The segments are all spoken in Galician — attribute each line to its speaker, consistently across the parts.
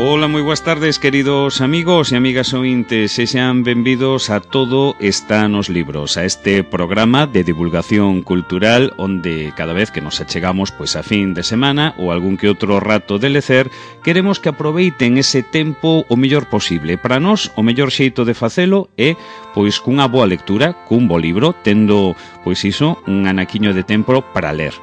Speaker 1: Ola, moi boas tardes, queridos amigos e amigas ointes, e sean benvidos a Todo está nos libros, a este programa de divulgación cultural onde cada vez que nos achegamos pois a fin de semana ou algún que outro rato de lecer, queremos que aproveiten ese tempo o mellor posible. Para nós, o mellor xeito de facelo é pois cunha boa lectura, cun bo libro, tendo pois iso, un anaquiño de tempo para ler.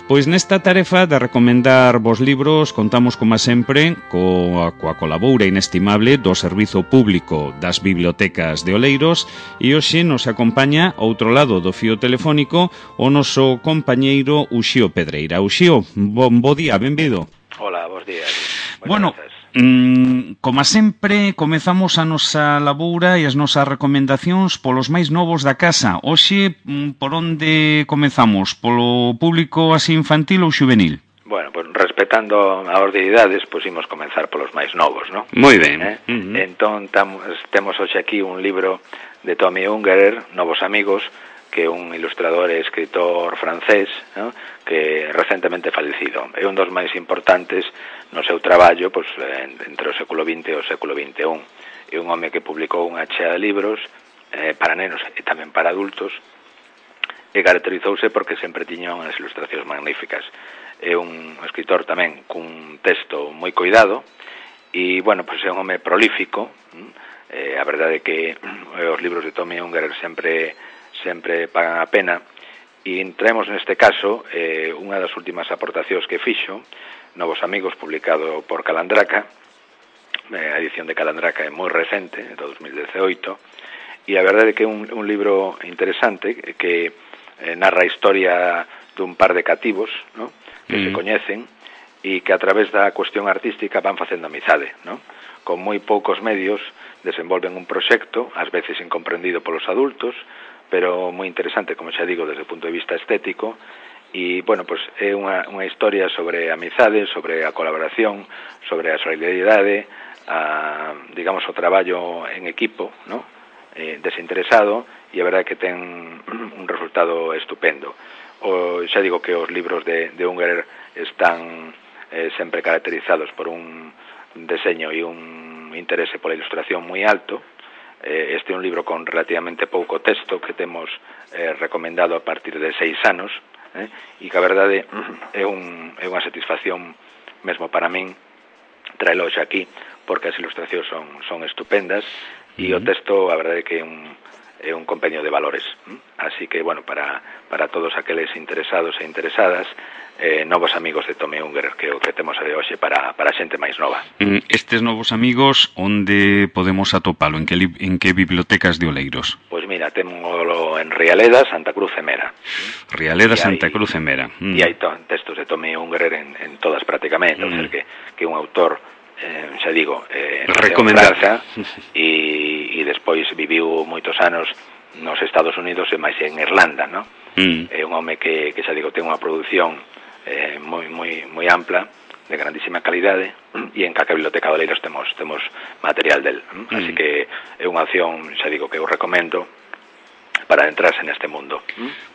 Speaker 1: Pois nesta tarefa de recomendar vos libros contamos, como sempre, coa colaboura inestimable do Servizo Público das Bibliotecas de Oleiros e hoxe nos acompaña ao outro lado do fío telefónico o noso compañeiro Uxío Pedreira. Uxío, bo día, benvido.
Speaker 2: Hola, bons días.
Speaker 1: Bueno, como sempre, comezamos a nosa laboura e as nosas recomendacións polos máis novos da casa. Hoxe, por onde comezamos? Polo público así infantil ou xuvenil?
Speaker 2: Bueno, pues respetando a orde de idades, pues imos comenzar polos máis novos, ¿no?
Speaker 1: Moi ben.
Speaker 2: Entón, temos hoxe aquí un libro de Tommy Ungerer, Novos Amigos, que é un ilustrador e escritor francés, ¿no?, que recentemente falecido. É un dos máis importantes no seu traballo, pues, entre o século XX e o século XXI. É un home que publicou unha chea de libros para nenos e tamén para adultos, e caracterizouse porque sempre tiña unhas ilustracións magníficas. É un escritor tamén cun texto moi cuidado e, bueno, pues é un home prolífico. A verdade é que os libros de Tommy Ungerer sempre pagan a pena, e traemos neste caso unha das últimas aportacións que fixo, Novos Amigos, publicado por Calandraca. A edición de Calandraca é moi recente, de 2018, e a verdade é que é un libro interesante que narra a historia dun par de cativos, ¿no?, que se coñecen e que a través da cuestión artística van facendo amizade, ¿no? Con moi poucos medios desenvolven un proxecto, ás veces incomprendido polos adultos, pero moi interesante, como xa digo, desde o punto de vista estético. E, bueno, pues é unha historia sobre amizade, sobre a colaboración, sobre a solidaridade, digamos, o traballo en equipo, ¿no?, desinteresado, e a verdade é que ten un resultado estupendo. Xa digo que os libros de Ungerer están sempre caracterizados por un deseño e un interese pola ilustración moi alto. Este é un libro con relativamente pouco texto que temos recomendado a partir de 6 anos, e que a verdade é unha satisfacción mesmo para min traelo xa aquí, porque as ilustracións son estupendas e o texto a verdade é que é un compendio de valores. Así que, bueno, para todos aqueles interesados e interesadas, Novos Amigos de Tommy Ungerer, que é o que temos de hoxe para a xente máis nova.
Speaker 1: Estes Novos Amigos, onde podemos atopalo? En que bibliotecas de Oleiros?
Speaker 2: Pois mira, témolo en Rialeda, Santa Cruz e Mera.
Speaker 1: Rialeda, Santa Cruz e Mera.
Speaker 2: E hai textos de Tommy Ungerer en todas prácticamente, o sea, que é un autor, xa digo, recomendada, e despois viviu moitos anos nos Estados Unidos e máis en Irlanda, ¿no? É un home que xa digo, ten unha produción moi ampla, de grandísima calidade, e en calquera biblioteca de Oleiros temos material del. Así que é unha opción, xa digo, que eu recomendo para entrarse neste mundo.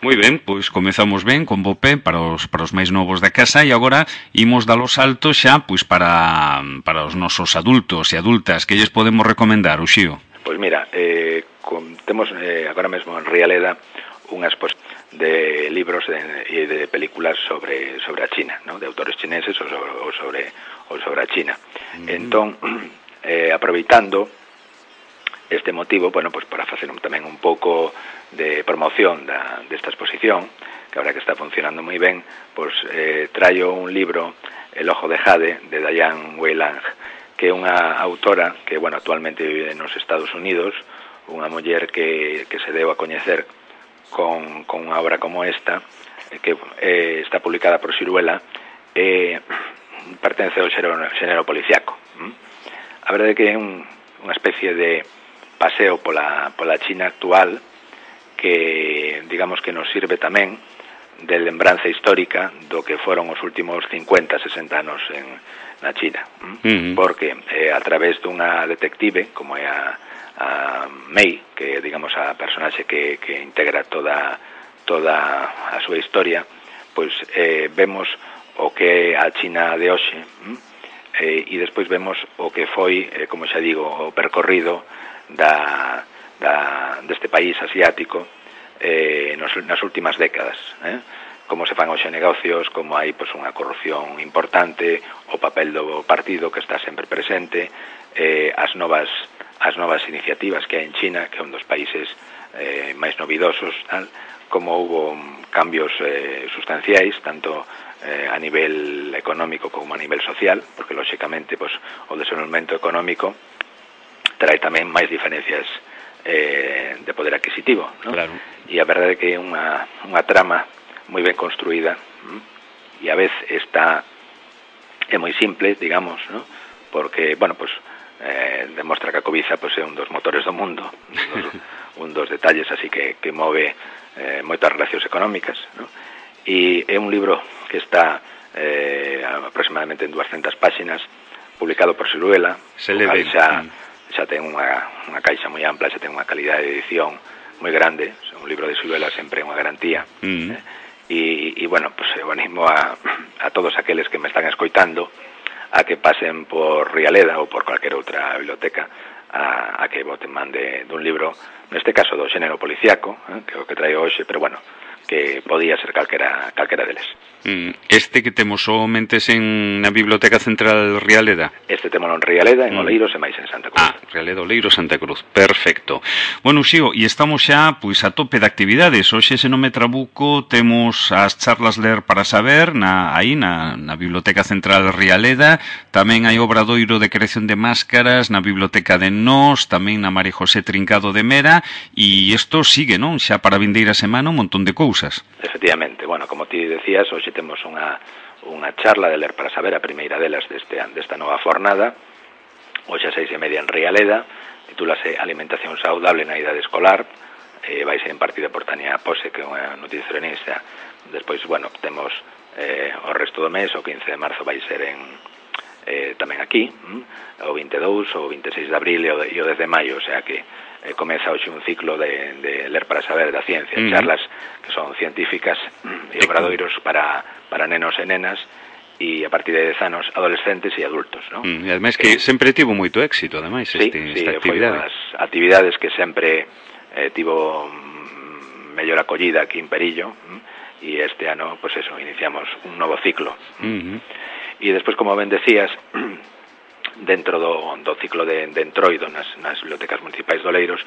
Speaker 1: Moi ben, pois comezamos ben con bo pé para os máis novos da casa, e agora imos dar o salto xa pois para os nosos adultos e adultas. Que lles podemos recomendar, Uxío?
Speaker 2: Pois mira, temos agora mesmo en Rialeda unha exposición de libros e de películas sobre a China, ¿no?, de autores chineses ou sobre a China. Entón, aproveitando este motivo, bueno, pues para facer tamén un pouco de promoción desta exposición, que ahora que está funcionando moi ben, pues traio un libro, El ojo de Jade, de Diane Weiland, que é unha autora que, bueno, actualmente vive nos Estados Unidos, unha muller que se deu a coñecer con unha obra como esta, que está publicada por Siruela, pertence ao xénero policiaco. A verdade é que é unha especie de paseo pola China actual que, digamos, que nos sirve tamén de lembranza histórica do que foron os últimos 50, 60 anos na China. Porque a través dunha detective, como é a Mei, que é, digamos, a personaxe que integra toda a súa historia, pois vemos o que é a China de hoxe, e despois vemos o que foi, como xa digo, o percorrido deste país asiático nas últimas décadas, como se fan hoxe negocios, como hai pois, unha corrupción importante, o papel do partido que está sempre presente, as novas iniciativas que hai en China, que é un dos países máis novidosos, como houve cambios sustanciais, tanto a nivel económico como a nivel social, porque lóxicamente pues, o desenvolvemento económico trae tamén máis diferencias de poder adquisitivo, ¿no?
Speaker 1: Claro.
Speaker 2: E a verdade é que é unha trama moi ben construída e a vez é moi simple, digamos, ¿no? Porque, bueno, pues demostra que a cobiza pues, é un dos motores do mundo, un dos detalles así que move moitas relacións económicas, ¿no? E é un libro que está aproximadamente en 200 páxinas, publicado por Siruela, xa ten unha caixa moi ampla, xa ten unha calidade de edición moi grande, un libro de Siruela sempre é unha garantía, e bueno, pues eu animo a todos aqueles que me están escoitando a que pasen por Rialeda ou por cualquier outra biblioteca a que boten man dun libro, neste caso do xénero policiaco, que é o que traio hoxe, pero bueno, que podía ser calquera deles.
Speaker 1: Este que temos o mentes na Biblioteca Central Rialeda?
Speaker 2: Este temos en Rialeda, en Oleiros e máis en Santa Cruz.
Speaker 1: Rialeda, Oleiros, Santa Cruz. Perfecto. Bueno, Uxío, e estamos xa pois a tope de actividades. Hoxe, se non me trabuco, temos as charlas Ler para Saber na Biblioteca Central Rialeda. Tamén hai obradoiro de creación de máscaras na Biblioteca de Nós, tamén na María José Trincado de Mera, e isto sigue, non? Xa para a vindeira semana un montón de cousas.
Speaker 2: Efectivamente. Bueno, como ti decías, hoxe temos unha charla de Ler para Saber, a primeira delas desta nova fornada, hoxe a 6:30 en Rialeda, titúlase Alimentación saudable na idade escolar, vai ser impartida por Tania Pose, que é unha nutricionista. Despois, bueno, temos o resto do mes, o 15 de marzo vai ser tamén aquí, o 22, o 26 de abril e o 10 de maio, o sea que comeza hoxe un ciclo de Ler para Saber da ciencia, charlas que son científicas e obradoiros para nenos e nenas e a partir de 10 anos adolescentes e adultos, ¿no?
Speaker 1: E ademais que sempre tivo moito éxito, ademais, esta actividade.
Speaker 2: Foi unhas actividades que sempre tivo mellor acollida aquí en Perillo, e este ano, pues eso, iniciamos un novo ciclo. E despois, como ben decías, dentro do ciclo de Entroido nas bibliotecas municipais de Oleiros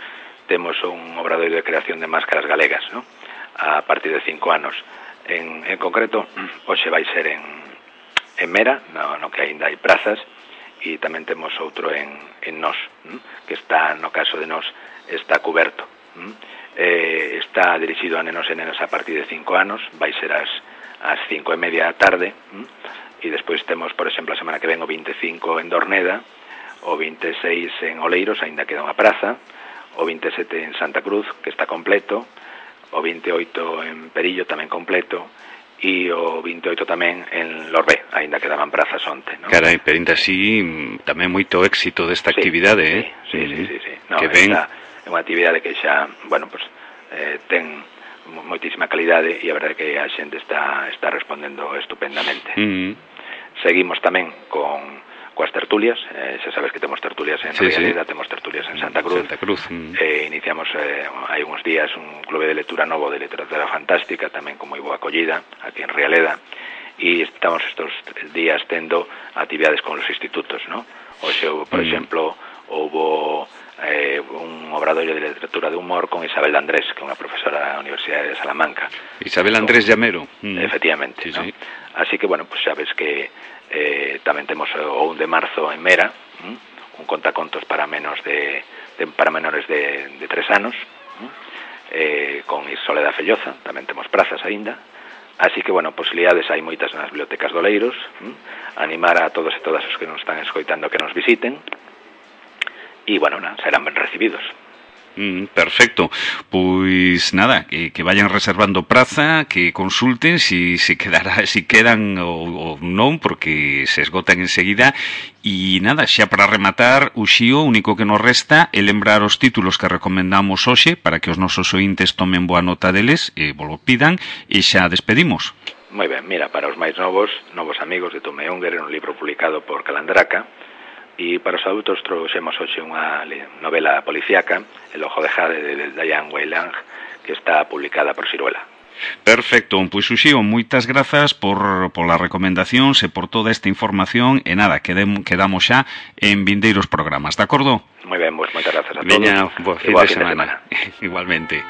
Speaker 2: temos un obradoiro de creación de máscaras galegas, ¿no? A partir de 5 anos. En concreto, hoxe vai ser en Mera, no que aínda hai prazas, e tamén temos outro en Nós, que está, no caso de Nós, está cuberto. Está dirixido a nenos e nenas a partir de 5 anos, vai ser ás 5:30 da tarde, e despois temos, por exemplo, a semana que ven o 25 en Dorneda, o 26 en Oleiros, aínda queda unha praza, o 27 en Santa Cruz, que está completo, o 28 en Perillo, tamén completo, e o 28 tamén en Lorbé, aínda quedaban prazas onte, ¿no?
Speaker 1: Carai, pero ainda así tamén moito éxito desta actividade,
Speaker 2: Sí. No,
Speaker 1: que ven...
Speaker 2: é unha actividade que xa, bueno, pues, ten moitísima calidade e a verdade que a xente está respondendo estupendamente. Seguimos tamén coas tertulias, xa sabes que temos tertulias en Rialeda, temos tertulias en Santa Cruz. Iniciamos hai uns días un clube de lectura novo de literatura fantástica, tamén con moi boa acollida aquí en Rialeda, e estamos estos días tendo actividades con os institutos, ¿no? Hoxe, por exemplo, houve un obradoiro de literatura de humor con Isabel Andrés, que é unha profesora da Universidade de Salamanca.
Speaker 1: Isabel Andrés Llamero.
Speaker 2: Efectivamente, ¿no? Así que, bueno, pues sabes que tamén temos o 1 de marzo en Mera, un contacontos para menores de 3 anos, con Soledad Felloza, tamén temos prazas aínda. Así que, bueno, posibilidades hai moitas nas bibliotecas de Oleiros, animar a todos e todas os que nos están escoitando que nos visiten, e, bueno, serán ben recibidos.
Speaker 1: Perfecto, pois nada, que vayan reservando praza, que consulten si quedan ou non, porque se esgotan enseguida. E nada, xa para rematar, Uxío, o único que nos resta é lembrar os títulos que recomendamos hoxe para que os nosos ointes tomen boa nota deles e vos lo pidan, e xa despedimos.
Speaker 2: Moi ben, mira, para os máis novos amigos de Tome Unger, un libro publicado por Calandraca, e para os adultos trouxemos hoxe unha novela policíaca, El ojo de jade, de Diane Weyland, que está publicada por Siruela.
Speaker 1: Perfecto, pois Uxío, moitas grazas por las recomendacións e por toda esta información, e nada, quedamos xa en vindeiros programas, de acordo?
Speaker 2: Moi ben, moitas grazas a todos.
Speaker 1: Veña, bo fin de semana. Igualmente.